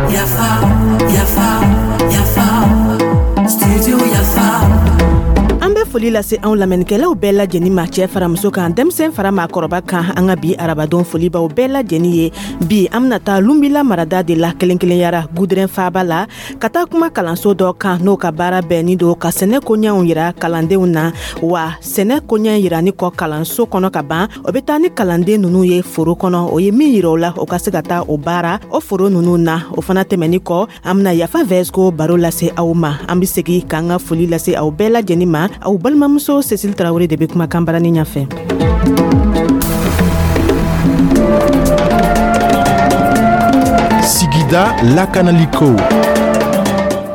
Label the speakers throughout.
Speaker 1: Yafa, yafa, yafa, studio Yafa.
Speaker 2: An bɛ foli lase anw lamɛnnikɛlaw bɛɛ lajɛnin ma, cɛɛ fara muso kan, denmisɛn fara maakɔrɔba kan. An ka bi arabadon folibaw bɛɛ lajɛnin ye. Bi, an bena taa Lunbila marada de la, kelen kelenyara Gudɛrɛn faaba la, ka taa kuma kalanso dɔ kan, n'o ka baara bɛnnin don ka sɛnɛ koɲɛw yira kalandenw na. Wa sɛnɛ koɲɛ yirani kɔ kalanso kɔnɔ ka ban, o bɛ taa ni kalanden nunu ye foro kɔnɔ. O ye min yira o la, o ka se ka taa o baara o foro nunu na. O fana tɛmɛni kɔ, an bena Yafa Vɛsiko baro lase aw ma. An be segi k'an ka foli lase aw bɛɛ lajɛnin ma. Aw balimamuso Cécile Tarawele de be kumakan barani ɲafɛ.
Speaker 3: Sigida lakanaliko.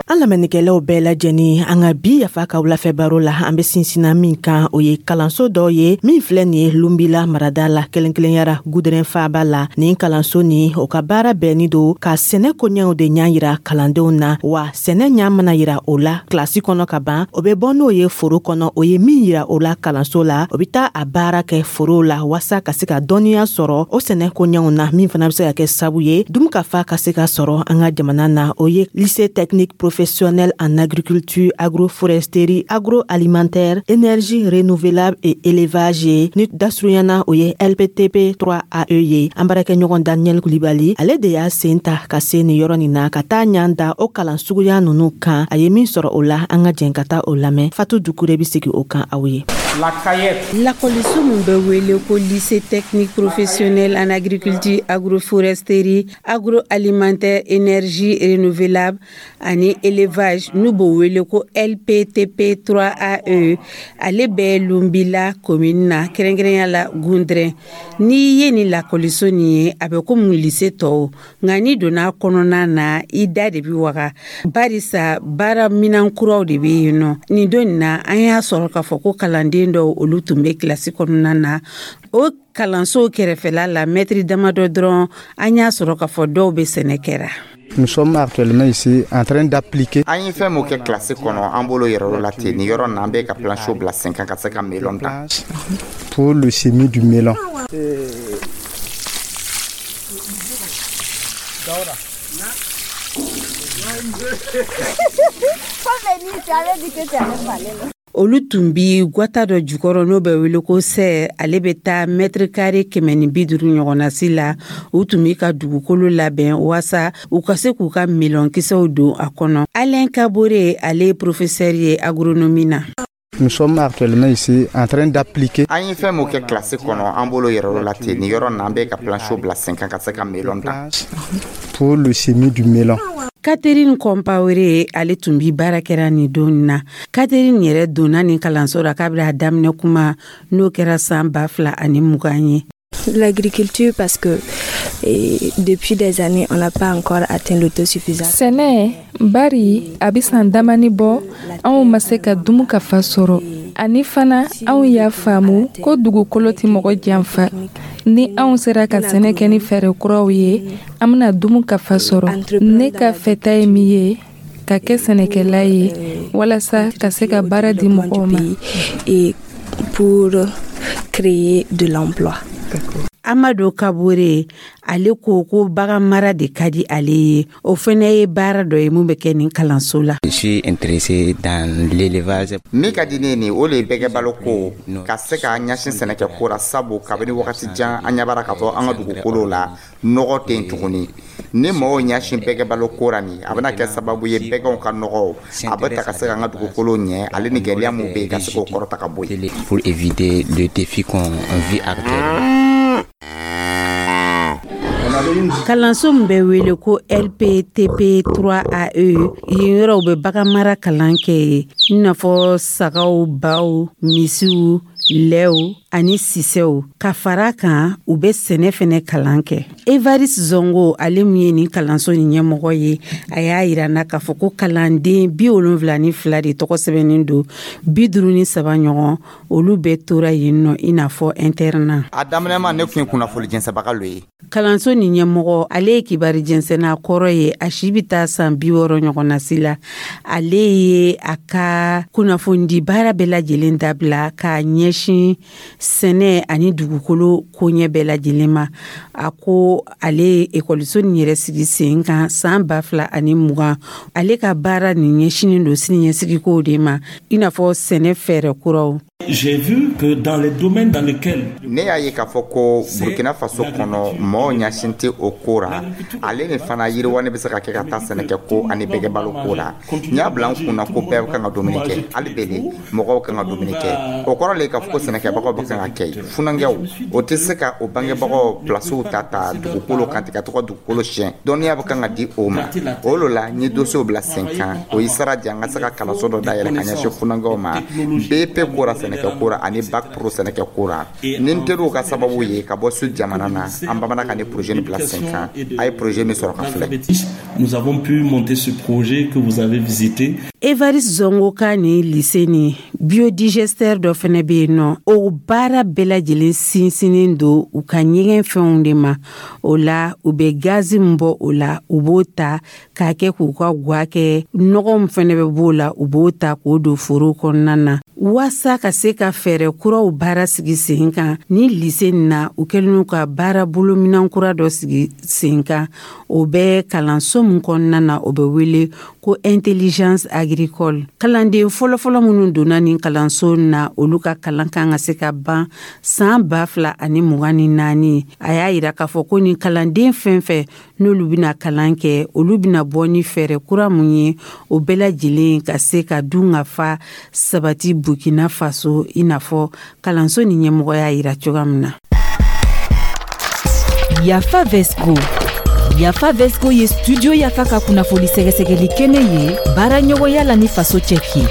Speaker 2: An lamɛnnikɛlaw bɛɛ lajɛnin, an ka bi Yafa ka wulafɛ baro la, an be sinsina min kan, o ye kalanso dɔ ye min filɛ nin ye Lunbila marada la, kelen kelenyara Gudɛrɛn faaba la. Nin kalanso nin, o ka baara bɛnnin don ka sɛnɛ koɲɛw de ɲa yira kalandenw na. Wa sɛnɛ ɲa mana yira o la kilasi kɔnɔ ka ban, o bɛ bɔ n'o ye foro kɔnɔ. O ye min yira o la kalanso la, o bɛ taa a baara kɛ foro la, waasa ka se ka dɔnniya sɔrɔ o sɛnɛ koɲɛw na, min fana bɛ se ka kɛ sabu ye dunkafa ka se ka sɔrɔ an ka jamana na. O ye Lycée technique professionnel en agriculture, agroforesterie, agroalimentaire, énergie renouvelable et élevage ye, ni dasurunyana o ye LPTP 3AE ye. An baarakɛɲɔgɔn Daniel Kulibali, ale de y'a sen ta ka se nin yɔrɔ nin na, ka taa ɲan da o kalan suguya nunu kan. A ye min sɔrɔ o la, an ka jɛn ka taa o lamɛn. Fatu Dukure be sigi o kan aw ye.
Speaker 4: Lakɔliso min bɛ wele ko Lycée technique professionnel en agriculture, agroforesterie, agroalimentaire, énergie renouvelable ani élevage, n'u b'o wele ko LPTP 3AE, ale bɛ Lunbila commune na, kɛrɛnkɛrɛnya la Gundrɛn. N'i ye nin lakɔliso nin ye, a bɛ komi lycée tɔw, nka n'i donna kɔnɔna na, i da de bi waga, barisa baara minan kuraw de bɛ yen nɔ. Nin don nin na, an y'a sɔrɔ k'a fɔ ko kalanden dɔw, olu tun bɛ kilasi kɔnɔna na. O kalanso kɛrɛfɛla la, mɛtiri damadɔ dɔrɔn, an y'a sɔrɔ k'a fɔ dɔw bɛ sɛnɛ kɛra.
Speaker 5: Nous sommes actuellement ici en train d'appliquer.
Speaker 6: An ye fɛn mun kɛ kilasi kɔnɔ, an bolo yɛrɛ la ten. Nin yɔrɔ na, an bɛ ka planche bila sen kan ka se ka melon dan.
Speaker 5: Pour le semis du melon.
Speaker 4: Olu tun bi gwata dɔ jukɔrɔ, n'o bɛ wele ko serre. Ale bɛ taa mètre carré 150 ɲɔgɔnnasi la. U tun b'i ka dugukolo labɛn waasa u ka se k'u ka melɔnkisɛw don a kɔnɔ. Alain Kabore, ale ye professeur ye agronomie na.
Speaker 5: Nous sommes actuellement ici en train d'appliquer.
Speaker 6: An ye fɛn mun kɛ kilasi kɔnɔ, an bolo yɛrɛ la ten. Nin yɔrɔ na, an bɛ ka planche bila sen kan ka se ka melon dan.
Speaker 5: Pour le semis du melon.
Speaker 4: Catherine Compaoré, ale tun bi baara kɛra nin don na. Catherine yɛrɛ donna nin kalanso la k'a bɛna daminɛ kuma, n'o kɛra san 2020 ye.
Speaker 7: L'agriculture, parce que et depuis des années, on n'a pas encore atteint l'autosuffisance.
Speaker 8: Sɛnɛ, bari a bɛ san damani bɔ, anw ma se ka dumu ka fa sɔrɔ. Ani fana, anw y'a faamu ko dugukolo tɛ mɔgɔ janfa. Ni anw sera ka sɛnɛ kɛ ni fɛɛrɛ kuraw ye, an bɛna dumu ka fa sɔrɔ. Ne ka fɛta ye min ye, ka kɛ sɛnɛkɛla ye walasa ka se ka baara di mɔgɔw ma.
Speaker 7: Et pour créer de l'emploi.
Speaker 4: Amadu Kabore, ale ko ko bagan mara de ka di ale ye. O fɛnɛ ye baara dɔ ye mun bɛ kɛ nin kalanso la.
Speaker 9: Je suis intéressé dans l'élevage.
Speaker 6: Min ka di ne ye nin, o le ye bɛgɛ balo ko, ka se ka ɲɛsin sɛnɛkɛko la, sabu kabini wagati jan, an ɲɛ b'ara k'a fɔ an ka dugukolo la, nɔgɔ tɛ yen tuguni. Ni mɔgɔw ɲɛsin bɛgɛ balo ko ra nin, a bɛna kɛ sababu ye bɛgɛw ka nɔgɔw a bɛ ta ka se k'an ka dugukolo ɲɛ, ale ni gɛlɛya mun bɛ yen, ka se k'o kɔrɔta ka bɔ yen.
Speaker 9: Pour éviter le défi qu'on vit actuellement.
Speaker 4: Kalanso min bɛ wele ko LPTP 3AE, yen yɔrɔw bɛ bagan mara kalan kɛ yen, i n'a fɔ sagaw, baw, misiw, lɛw ani sisɛw. Ka fara kan, u bɛ sɛnɛ fɛnɛ kalan kɛ. Evariste Zongo, ale min ye nin kalanso nin ɲɛmɔgɔ ye, a y'a yira n na k'a fɔ ko kalanden 72 de tɔgɔ sɛbɛnnen don, 53 ɲɔgɔn, olu bɛɛ tora yen nɔ i n'a fɔ internat.
Speaker 6: A daminɛma, ne tun ye kunnafoni jɛnsɛbaga lo ye.
Speaker 4: Kalanso nin ɲɛmɔgɔ, ale ye kibari jɛnsɛnna kɔrɔ ye, a si bɛ taa san 60 ɲɔgɔn na si la. Ale ye a ka kunnafonidi baara bɛɛ lajɛlen dabila k'a ɲɛsin sɛnɛ ani dugukolo koɲɛ bɛɛ lajɛlen ma. A ko ale ye ekɔliso nin yɛrɛ sigi sen kan san 2020. Ale ka baara nin ɲɛsinnen don siniɲɛsigikow de ma, i n'a fɔ sɛnɛ fɛɛrɛ kuraw.
Speaker 10: J'ai vu que dans les domaines dans lesquels
Speaker 6: Ne y'a ye k'a fɔ ko Burkina Faso kɔnɔ, mɔgɔw ɲasin tɛ o ko ra. Ale ni fana, yiriwani bɛ se ka kɛ ka taa sɛnɛkɛ ko ani bɛgɛbalo ko la. N y'a bila n kunna ko bɛɛ kan ka dumuni kɛ. Hali bele, mɔgɔw kan ka dumuni kɛ. O kɔrɔ le k'a fɔ ko sɛnɛkɛbagaw bɛ kan ka kɛ funankɛw, o tɛ se ka o bangebagaw pilasiw ta ta dugukolo kan ten ka to ka dugukolo siɲɛ. Dɔnniya bɛ kan ka di o ma. O lo la n ye dossier bila sen kan. O ye sira di an ka se ka kalanso dɔ dayɛlɛ ka ɲɛsin funankɛw ma, BP ko ra, sɛnɛkɛ ko ra, ani bac pro sɛnɛkɛ ko ra. Ni n teriw ka sababu ye ka bɔ sud jamana na, an bamanan ka ni projet nin bila sen kan. A ye projet min sɔrɔ ka filɛ.
Speaker 10: Nous avons pu monter ce projet que vous avez visité.
Speaker 4: Evariste Zongo ka nin lycée nin, biodigesteur dɔ fɛnɛ bɛ yen nɔ. O baara bɛɛ lajɛlen sinsinnen don u ka ɲɛgɛn fɛnw de ma. O la, u bɛ gazi min bɔ o la, u b'o ta k'a kɛ k'u ka gwa kɛ. Nɔgɔ min fɛnɛ bɛ b'o la, u b'o ta k'o don foro kɔnɔna na. Waasa ka se ka fɛɛrɛ kuraw baara sigi sen kan ni lycée nin na, u kɛlen ka baara bolominan kura dɔ sigi sen kan. O bɛ kalanso min kɔnɔna na, o bɛ wele ko intelligence agricole. Kalanden fɔlɔfɔlɔ minnu donna nin kalanso na, olu ka kalan kan ka se ka ban san 2024. A y'a yira k'a fɔ ko nin kalanden fɛn fɛn n'olu bɛna kalan kɛ, olu bɛna bɔ ni fɛɛrɛ kura mun ye, o bɛɛ lajɛlen ka se ka dun ka fa sabati Burkina Faso, i n'a fɔ kalanso ni ɲɛmɔgɔ y'a yira cogoya min na.
Speaker 11: Yafa Vesco. Yafa Vesco ye Studio Yafa ka kunnafoni sɛgɛsɛgɛli kɛnɛ ye, baara ɲɔgɔnya la ni Faso Cɛki ye.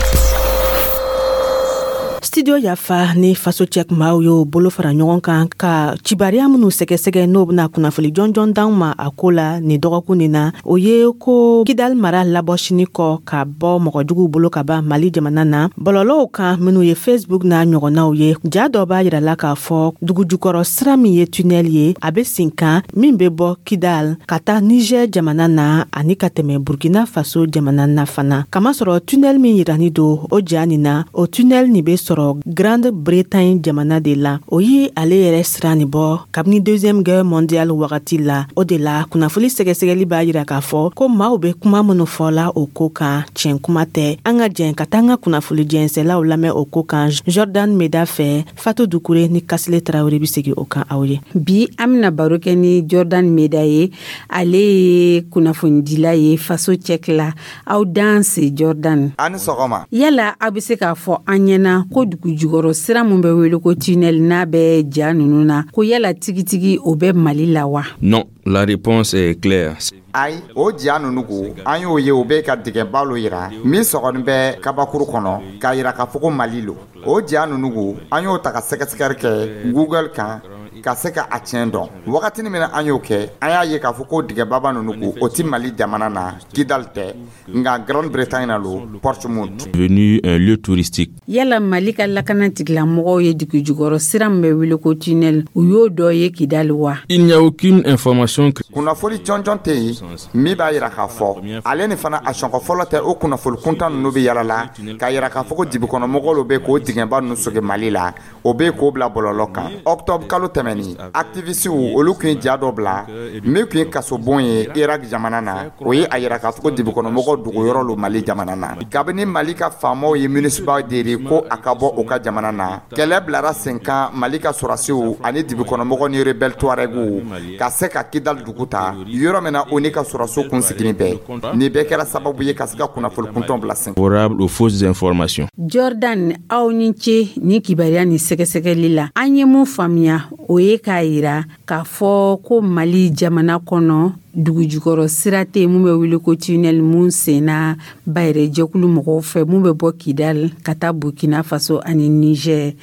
Speaker 2: Studio Yafa ni Faso Cɛk maaw y'o bolo fara ɲɔgɔn kan ka cibariya minnu sɛgɛsɛgɛ, n'o bena kunnafoni jɔnjɔn d'anw ma a ko la nin dɔgɔkun nin na, o ye ko Kidal mara labɔsini kɔ ka bɔ mɔgɔjuguw bolo ka ban Mali jamana na, bɔlɔlɔw kan minnu ye Facebook n'a ɲɔgɔnnaw ye, ja dɔ b'a yirala k'a fɔ dugujukɔrɔ sira min ye tunnel ye, a be sen kan, min be bɔ Kidal ka taa Niger jamana na ani ka tɛmɛ Burkina Faso jamana na fana. Kamasɔrɔ tunnel min yirani don o ja nin na, o tunnel nin be sɔrɔ Grande Bretagne jamana de la. O ye ale yɛrɛ sira nin bɔ kabini Deuxième Guerre mondiale wagati la. O de la, kunnafoni sɛgɛsɛgɛli b'a yira k'a fɔ ko maaw be kuma minnu fɔla o ko kan, tiɲɛ kuma tɛ. An ka jɛn ka taa an ka kunnafoni jɛnsɛlaw lamɛn o ko kan Jordan Meda fɛ. Fatu Dukure ni Kasile Tarawele be segi o kan aw ye.
Speaker 4: Bi, an bena baro kɛ ni Jordan Meda ye. Ale ye kunnafonidila ye Faso Cɛk la. Aw dan se, Jordan.
Speaker 6: A ni sɔgɔma.
Speaker 4: Yala aw be se k'a fɔ an ɲɛna ko dugu jukɔrɔ sira mun bɛ wele ko tunnel, n'a bɛ ja nunu na, ko yala tigitigi o bɛ Mali la wa?
Speaker 12: Non, la réponse est claire.
Speaker 6: Ayi, o ja nunu ko, an y'o ye, o bɛ ka dingɛba lo yira min sɔgɔnin bɛ kabakuru kɔnɔ k'a yira k'a fɔ ko Mali lo. O ja nunu ko, an y'o ta ka sɛgɛsɛgɛli kɛ Google kan ka se ka a tiɲɛ dɔn. Wagatini min na an y'o kɛ, an y'a ye k'a fɔ ko dingɛbaba nunu ko, o ti Mali jamana na, Kidal tɛ, nka Grande Bretagne na lo, Portsmouth.
Speaker 12: Devenu un lieu touristique.
Speaker 4: Yala Mali ka lakana tigilamɔgɔw ye dugu jukɔrɔ sira min bɛ wele ko tunnel, u y'o dɔ ye Kidali wa?
Speaker 12: Il n'y a aucune information.
Speaker 6: Kunnafoni jɔnjɔn tɛ yen min b'a yira k'a fɔ ale ni fana a sɔnkɔ fɔlɔ tɛ. O kunnafoni kuntan ninnu bɛ yala la k'a yira k'a fɔ ko dibikɔnɔmɔgɔw lo bɛ k'o dingɛba ninnu soge Mali la, o bɛ k'o bila bɔlɔlɔ kan. Octobre kalo tɛmɛni, activistew olu tun ye ja dɔ bila min tun ye kasobon ye Irak jamana na. O ye a yira k'a fɔ ko dibikɔnɔmɔgɔw dogoyɔrɔ lo Mali jamana na. Kabini Mali ka faamaw ye MINUSMA deli ko a ka bɔ u ka jamana na, kɛlɛ bilara sen kan Mali ka sɔrɔsiw ani dibikɔnɔmɔgɔw ni rebelle Touaregiw ka se ka Kidal dugu ta, yɔrɔ min na o ni ka sɔrɔsiw kun sigilen bɛ. Nin bɛɛ kɛra sababu ye ka se ka kunnafoni kuntɔn bila sen.
Speaker 12: Favorable aux fausses informations.
Speaker 4: Jordan, aw ni ce ni kibaruya ni sɛgɛsɛgɛli la. An ye mun faamuya, o ye k'a yira k'a fɔ ko Mali jamana kɔnɔ, dugujukɔrɔ sira tɛ mun bɛ wele ko tunnel, mun senna bayɛrɛ jɛkulu mɔgɔw fɛ, mun bɛ bɔ Kidal ka taa Burkina Faso ani Niger.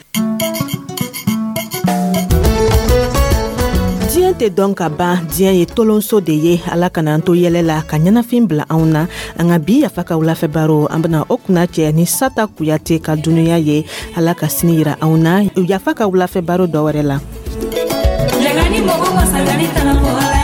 Speaker 2: Diɲɛ. Tɛ dɔn ka ban. Diɲɛ ye tolonso de ye. Ala kana an to yɛlɛ la ka ɲɛnafin bila anw na. An ka bi Yafa ka wulafɛ baro, an bena o kunna cɛ ni Sata Kuyate ka dunuya ye. Ala ka sini yira anw na Yafa ka wulafɛ baro dɔ wɛrɛ la.
Speaker 1: Lagani mɔgɔ masagani tana.